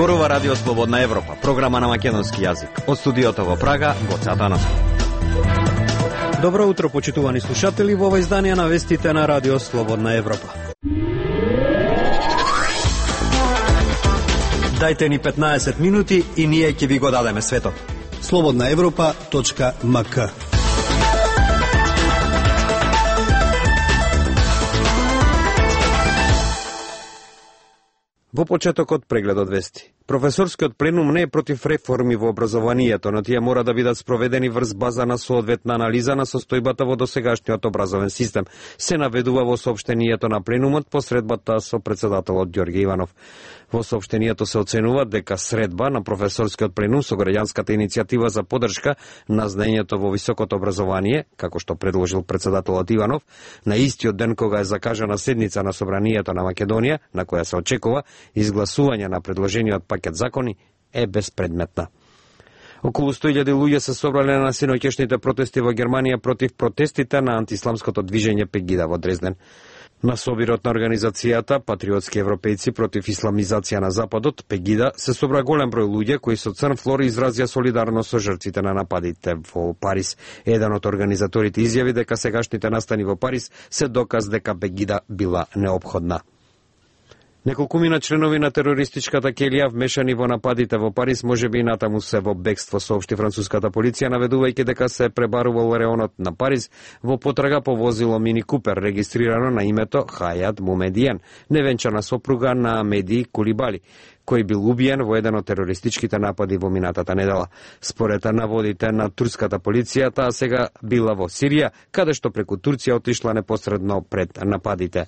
Зборува Радио Слободна Европа, програма на македонски јазик. Од студиото во Прага, Гоце Атанасов. Добро утро, почитувани слушатели, во ова издание на вестите на Радио Слободна Европа. Дајте ни 15 минути и ние ќе ви го дадеме светот. slobodnaevropa.mk. Во почетокот преглед од вести. Професорскиот пленум не е против реформи во образованието, но тие мора да бидат спроведени врз база на соодветна анализа на состојбата во досегашниот образовен систем, се наведува во соопштението на пленумот по средбата со председателот Ѓорѓе Иванов. Во соопштението се оценува дека средба на професорскиот пленум со граѓанската иницијатива за поддршка на знаењето во високото образование, како што предложил председателот Иванов, на истиот ден кога е закажана седница на Собранието на Македонија, на која се очекува изгласување на предложениот пакет закони, е безпредметна. Околу 100.000 луѓе се собрале на синоќешните протести во Германија против протестите на антисламското движење Пегида во Дрезден. На собирот на организацијата Патриотски европејци против исламизација на Западот, Пегида, се собра голем број луѓе кои со црн флор изразија солидарност со жртвите на нападите во Париз. Еден од организаторите изјави дека сегашните настани во Париз се доказ дека Пегида била неопходна. Неколкумина членови на терористичката келија вмешани во нападите во Париз можеби и натаму се во бегство, соопшти француската полиција, наведувајќи дека се пребарувал реонот на Париз во потрага по возило Мини Купер, регистрирано на името Хајат Мумедиен, невенчана сопруга на Меди Кулибали, кој бил убиен во еден од терористичките напади во минатата недела. Според наводите на турската полиција, таа сега била во Сирија, каде што преку Турција отишла непосредно пред нападите.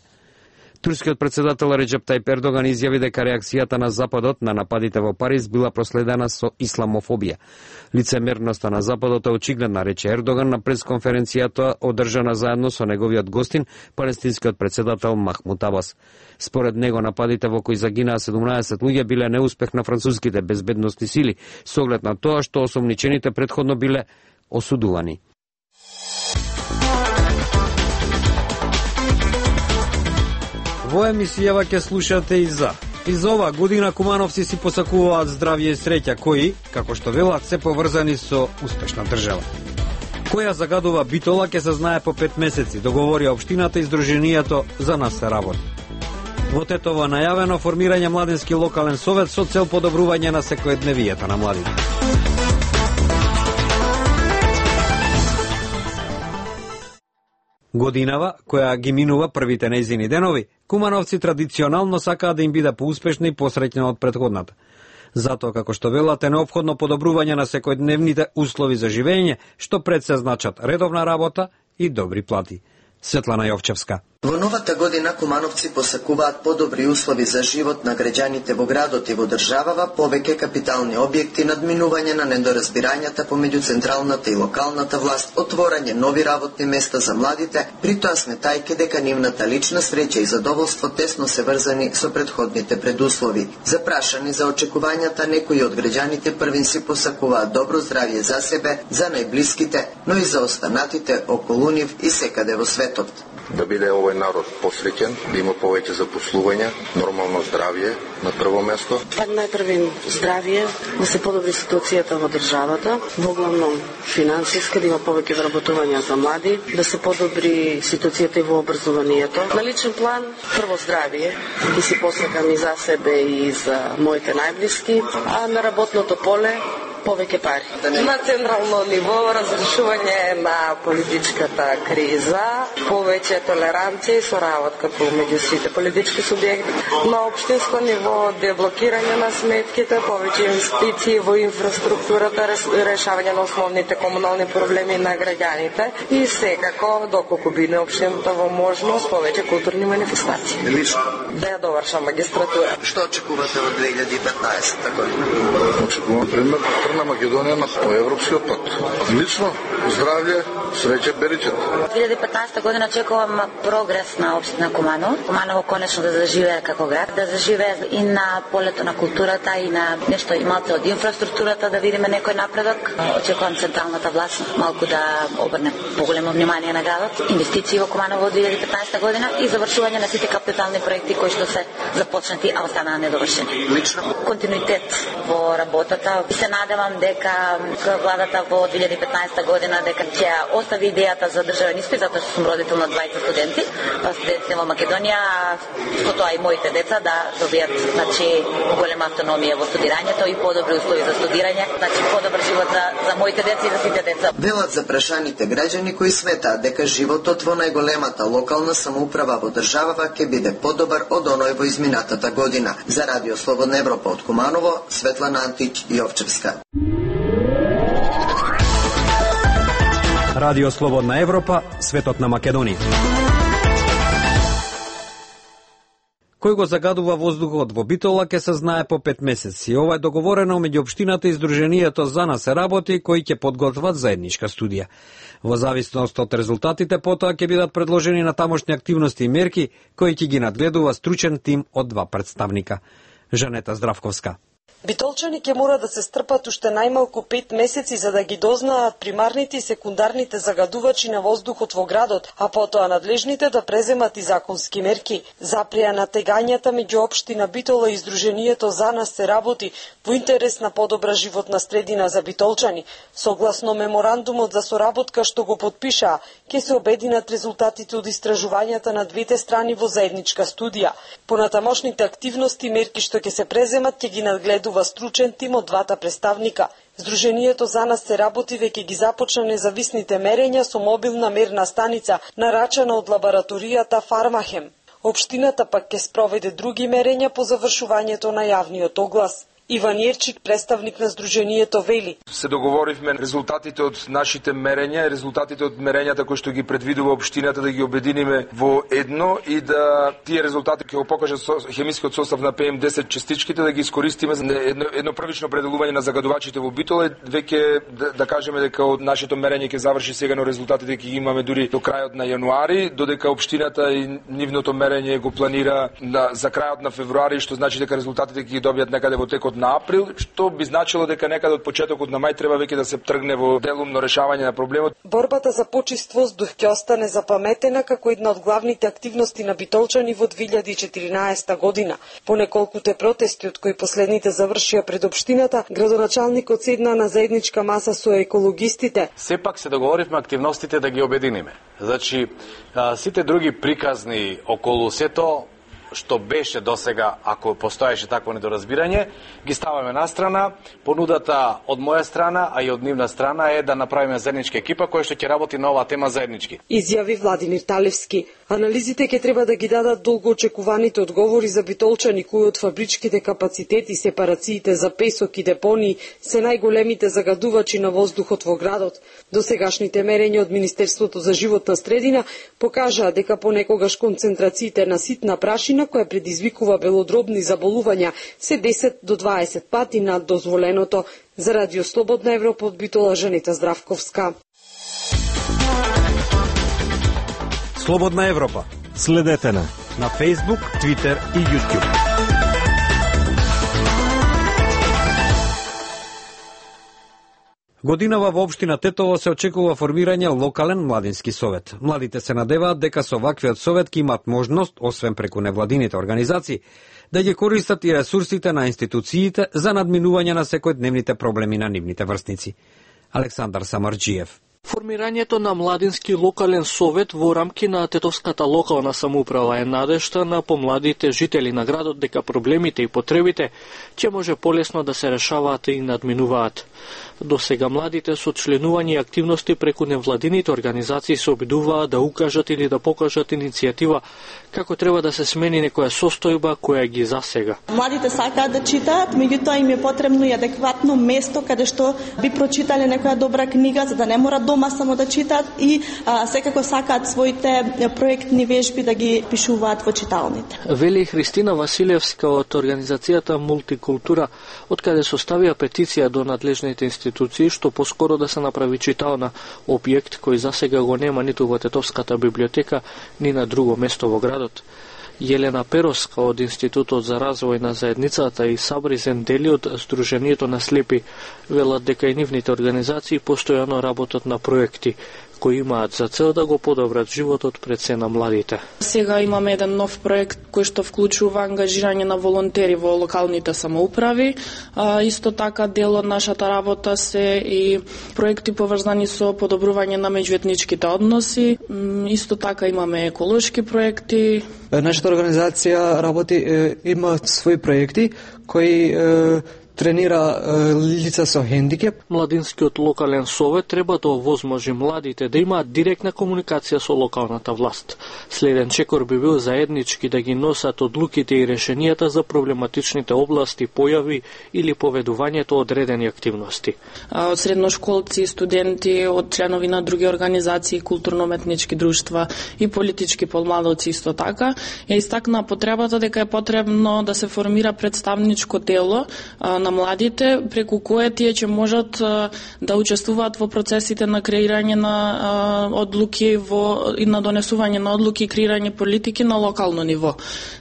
Турскиот председател Реджеп Тајип Ердоган изјави дека реакцијата на Западот на нападите во Париз била проследена со исламофобија. Лицемерноста на Западот е очигледна, рече Ердоган на пресконференцијата одржана заедно со неговиот гостин, палестинскиот председател Махмуд Абас. Според него нападите во кои загинаа 17 луѓе биле неуспех на француските безбедносни сили, со оглед на тоа што осомничените претходно биле осудувани. Во емисијава ќе слушате и за оваа година кумановци си посакуваат здравје и среќа, кои, како што велат, се поврзани со успешна држава. Која загадува Битола ќе се знае по 5 месеци, договори општината и Сдруженијето за нас се работи. Во Тетово најавено формирање младински локален совет со цел подобрување на секојдневието на младите. Годинава, која ги минува првите нејзини денови, кумановци традиционално сакаат да им биде поуспешна и посреќна од претходната. Затоа, како што велат, е неопходно подобрување на секојдневните услови за живење, што пред се значат редовна работа и добри плати. Светлана Јовчевска. Во новата година кумановци посакуваат подобри услови за живот на граѓаните во градот и во државава, повеќе капитални објекти, надминување на недоразбирањата помеѓу централната и локалната власт, отворање нови работни места за младите, притоа сметајќи дека нивната лична среќа и задоволство тесно се врзани со претходните предуслови. Запрашани за очекувањата, некои од граѓаните првин си посакуваат добро здравје за себе, за најблиските, но и за останатите околу нив и секаде во светот. Да биде овој народ посреќен, да има повеќе запослување, нормално здравје на прво место. Најпрвин здравје, да се подобри ситуацијата во државата, во главном финансиска, да има повеќе вработувања за млади, да се подобри ситуацијата и во образованието. На личен план, прво здравје, и си посакам и за себе и за моите најблиски, а на работното поле повеќе пари. На централно ниво разрешување на политичката криза, повеќе толеранција и соработка помеѓу сите политички субјекти. На општинско ниво деблокирање на сметките, повеќе инвестиции во инфраструктурата, решавање на основните комунални проблеми на граѓаните и секако, доколку биде општината во можност, повеќе културни манифестации. Да ја довршам магистратура. Што очекувате од 2015 година? Очекувам пример на Македонија на европскиот пат. Лично Здравје, среќа, беричет. 2015 година очекувам прогрес на општина Куманово. Куманово конечно да заживее како град, да заживее и на полето на културата и на нешто и малку од инфраструктурата, да видиме некој напредок. Очекувам централната власт малку да обрне поголемо внимание на градот, инвестиции во Куманово од 2015 година и завршување на сите капитални проекти кои што се започнати, а останаа недовршени. Лично Континуитет во работата. Се надевам дека владата во 2015 година дека ќе остави идејата за државен испит, затоа што сум родител на 20 студенти, студенти во Македонија, со тоа и моите деца да добијат голема автономија во студирањето и подобри услови за студирање, подобар живот за моите деца и за сите деца. Велат за прашаните граѓани кои сметаат дека животот во најголемата локална самоуправа во државава ќе биде подобар од оној во изминатата година. За Радио Слободна Европа од Куманово, Светлана Антич Јовчевска. Радио Слободна Европа, светот на Македонија. Кој го загадува воздухот во Битола ќе се знае по 5 месеци. Ова е договорено меѓу општината и Сдруженијето за нас се работи, кои ќе подготват заедничка студија. Во зависност од резултатите, потоа ќе бидат предложени на тамошни активности и мерки, кои ќе ги надгледува стручен тим од 2 представника. Жанета Здравковска. Битолчани ќе мора да се стрпат уште најмалку 5 месеци за да ги дознаат примарните и секундарните загадувачи на воздухот во градот, а потоа надлежните да преземат и законски мерки. Запреа натегањата меѓу општина Битола и Сдруженијето за нас се работи во интерес на подобра животна средина за битолчани. Согласно меморандумот за соработка што го потпишаа, ќе се обединат резултатите од истражувањата на двете страни во заедничка студија. Понатамошните активности и мерки што ќе се преземат ќе ги надгледува стручен тим од 2 представника. Сдруженијето за нас се работи веќе ги започна независните мерења со мобилна мерна станица, нарачана од лабораторијата Фармахем. Општината пак ќе спроведе други мерења по завршувањето на јавниот оглас. Иван Јерчик, представник на Сдруженијето, вели: Се договоривме резултатите од нашите мерења, резултатите од мерењата кои што ги предвидува општината да ги обединиме во едно и да тие резултати ќе го покажат хемискиот состав на PM10 частичките, да ги искористиме за едно првично определување на загадувачите во Битола. Веќе да кажеме дека од нашето мерење ќе заврши сега, но резултатите ќе ги имаме дури до крајот на јануари, додека општината и нивното мерење го планира за крајот на февруари, што значи дека резултатите ќе ги добијат некаде во текот на април, што би значило дека некаде од почетокот на мај треба веќе да се тргне во делумно решавање на проблемот. Борбата за почист воздух ќе остане запаметена како една од главните активности на битолчани во 2014 година. По неколкуте протести од кои последните завршија пред општината, градоначалникот седна на заедничка маса со екологистите. Сепак се договоривме активностите да ги обединиме. Значи, сите други приказни околу сето што беше досега, ако постоеше такво недоразбирање, ги ставаме на страна. Понудата од моја страна, а и од нивна страна е да направиме заедничка екипа која што ќе работи на оваа тема заеднички. Изјави Владимир Талевски. Анализите ќе треба да ги дадат долгоочекуваните одговори за битолчани кои од фабричките капацитети, сепарациите за песок и депонии се најголемите загадувачи на воздухот во градот. Досегашните мерења од Министерството за животна средина покажаа дека понекогаш концентрациите на ситна прашина која предизвикува белодробни заболувања се 10 до 20 пати над дозволеното. За Радио Слободна Европа од Битола, Жанета Здравковска. Слободна Европа. Следете на Facebook, Twitter и YouTube. Годинава во општина Тетово се очекува формирање локален младински совет. Младите се надеваат дека со ваквиот совет ќе имат можност, освен преку невладините организации, да ги користат и ресурсите на институциите за надминување на секојдневните проблеми на нивните врсници. Александар Самарџиев. Формирањето на младински локален совет во рамки на тетовската локална самоуправа е надежта на помладите жители на градот дека проблемите и потребите ќе може полесно да се решаваат и надминуваат. До сега младите со членување и активности преку невладините организации се обидуваат да укажат или да покажат иницијатива како треба да се смени некоја состојба која ги засега. Младите сакаат да читаат, меѓутоа им е потребно и адекватно место каде што би прочитале некоја добра книга за да не мора дома само да читаат и секако сакаат своите проектни вежби да ги пишуваат во читалните. Вели Христина Василевска од организацијата Мултикултура, откаде составија петиција до надлежните институции што поскоро да се направи читална, објект кој засега го нема ниту во Тетовската библиотека, ни на друго место во градот. Јелена Пероска од Институтот за развој на заедницата и Сабри Зендели од Сдруженијето на слепи велат дека и нивните организации постојано работат на проекти кои имаат за цел да го подобрат животот пред се на младите. Сега имаме еден нов проект кој што вклучува ангажирање на волонтери во локалните самоуправи. Исто така дел од нашата работа се и проекти поврзани со подобрување на меѓуетничките односи. Исто така имаме еколошки проекти. Нашата организација работи, има своји проекти кои тренира лица со хендикеп. Младинскиот локален совет треба да овозможи младите да имаат директна комуникација со локалната власт. Следен чекор би бил заеднички да ги носат одлуките и решенијата за проблематичните области, појави или поведувањето одредени активности. Од средношколци, студенти, од членови на други организации, културно-уметнички друштва и политички помладоци исто така, ја истакна потребата дека е потребно да се формира представничко тело на младите, преку кое тие ќе можат да учествуваат во процесите на креирање на одлуки и на донесување на одлуки и креирање политики на локално ниво.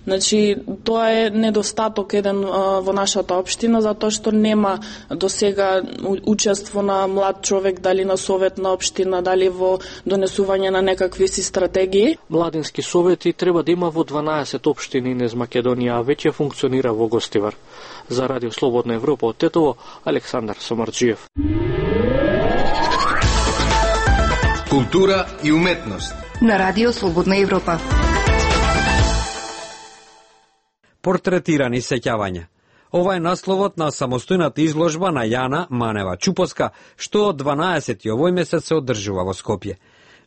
Значи, тоа е недостаток еден во нашата општина, затоа што нема досега учество на млад човек, дали на совет на општина, дали во донесување на некакви си стратегии. Младински совети треба да има во 12 општини низ Македонија, а веќе функционира во Гостивар. За Радио Слободна Европа од Тетово, Александар Самарджиев. Култура и уметност на Радио Слободна Европа. Портретирани сеќавања. Ова е насловот на самостојната изложба на Јана Манева Чупоска, што од 12 овој месец се одржува во Скопје.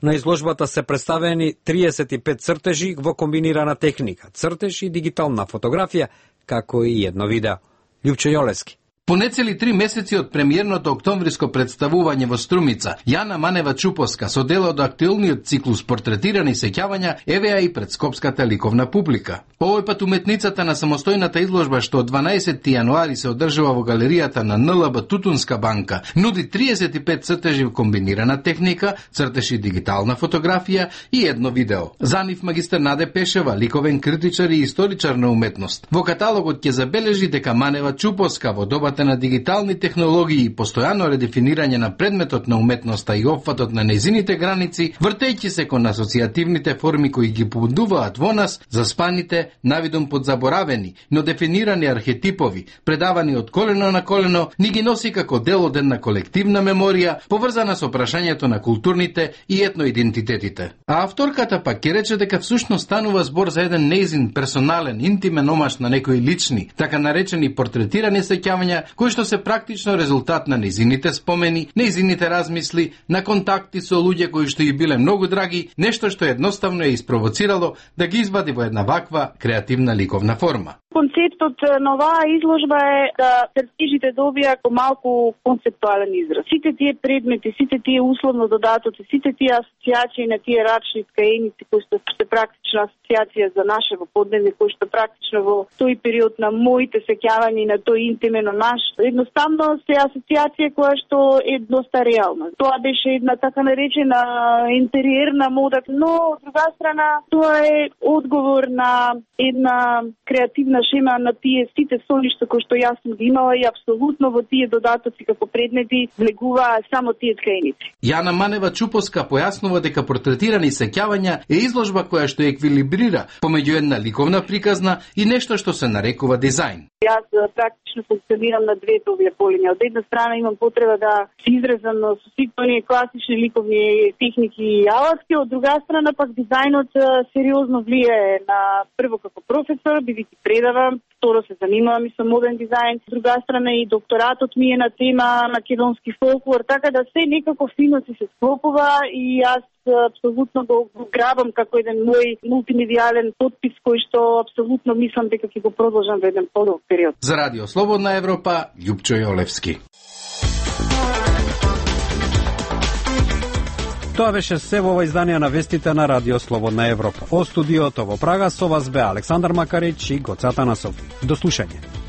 На изложбата се представени 35 цртежи во комбинирана техника, цртеж и дигитална фотографија, како и едно видео. Љупчо Јолевски. По нецели 3 месеци од премиерното октомвриско представување во Струмица, Јана Манева Чупоска со дел од актуелниот циклус портретирани сеќавања евеа и пред скопската ликовна публика. Овој пат уметницата на самостојната изложба што од 12 јануари се одржува во галеријата на НЛБ Тутунска банка, нуди 35 цртежи во комбинирана техника, цртежи дигитална фотографија и едно видео. За нив магистар Наде Пешева, ликовен критичар и историчар на уметност. Во каталогот ќе забележи дека Манева Чупоска во добата на дигитални технологии и постојано редефинирање на предметот на уметноста и опфатот на нејзините граници, вртејќи се кон асоцијативните форми кои ги побудуваат во нас заспаните, навидом подзаборавени, но дефинирани архетипови, предавани од колено на колено, ни ги носи како дел од една колективна меморија, поврзана со прашањето на културните и етноидентитетите. А авторката пак ќе рече дека всушност станува збор за еден нејзин персонален, интимен омаш на некои лични, така наречени портретирани сеќавања, кои што се практично резултат на нејзините спомени, нејзините размисли, на контакти со луѓе кои што ја биле многу драги, нешто што едноставно ја испровоцирало да ги извади во една ваква креативна ликовна форма. Концептот на оваа изложба е да цртежите добијат малку концептуален израз. Сите тие предмети, сите тие условно додатоци, сите тие асоциации на тие рачни ткаеници кои што е практична асоциација за нашево подневје, кои што практично во тој период на моите сеќавања и на тој интимено наш, едноставно се асоциација која што е доста реална. Тоа беше една така наречена интериерна мода, но од друга страна тоа е одговор на една креативна шема на тие сите соништа кои што јас сум ги имала и апсолутно во тие додатоци како предмети влегуваа само тие ткаеници. Јана Манева Чупоска појаснува дека портретирани сеќавања е изложба која што еквилибрира помеѓу една ликовна приказна и нешто што се нарекува дизајн. Јас практично функционирам на двете овие полиња. Од една страна имам потреба да се изразам со сите оние класични ликовни техники и алатки, од друга страна пак дизајнот сериозно влијае на прво како професор, бидејќи предавам, второ се занимавам и со моден дизајн, од друга страна и докторатот ми е на тема македонски фолклор, така да се некако фино се склопува и јас апсолутно го грабам како еден мој мултимедијален потпис кој што апсолутно мислам дека ќе го продолжам во еден подолг период. За Радио Слободна Европа, Љупчо Јолевски. Тоа беше се во ова издание на вестите на Радио Слободна Европа. О студиото во Прага со вас бе Александар Макарич и Гоце Атанасов. До слушање.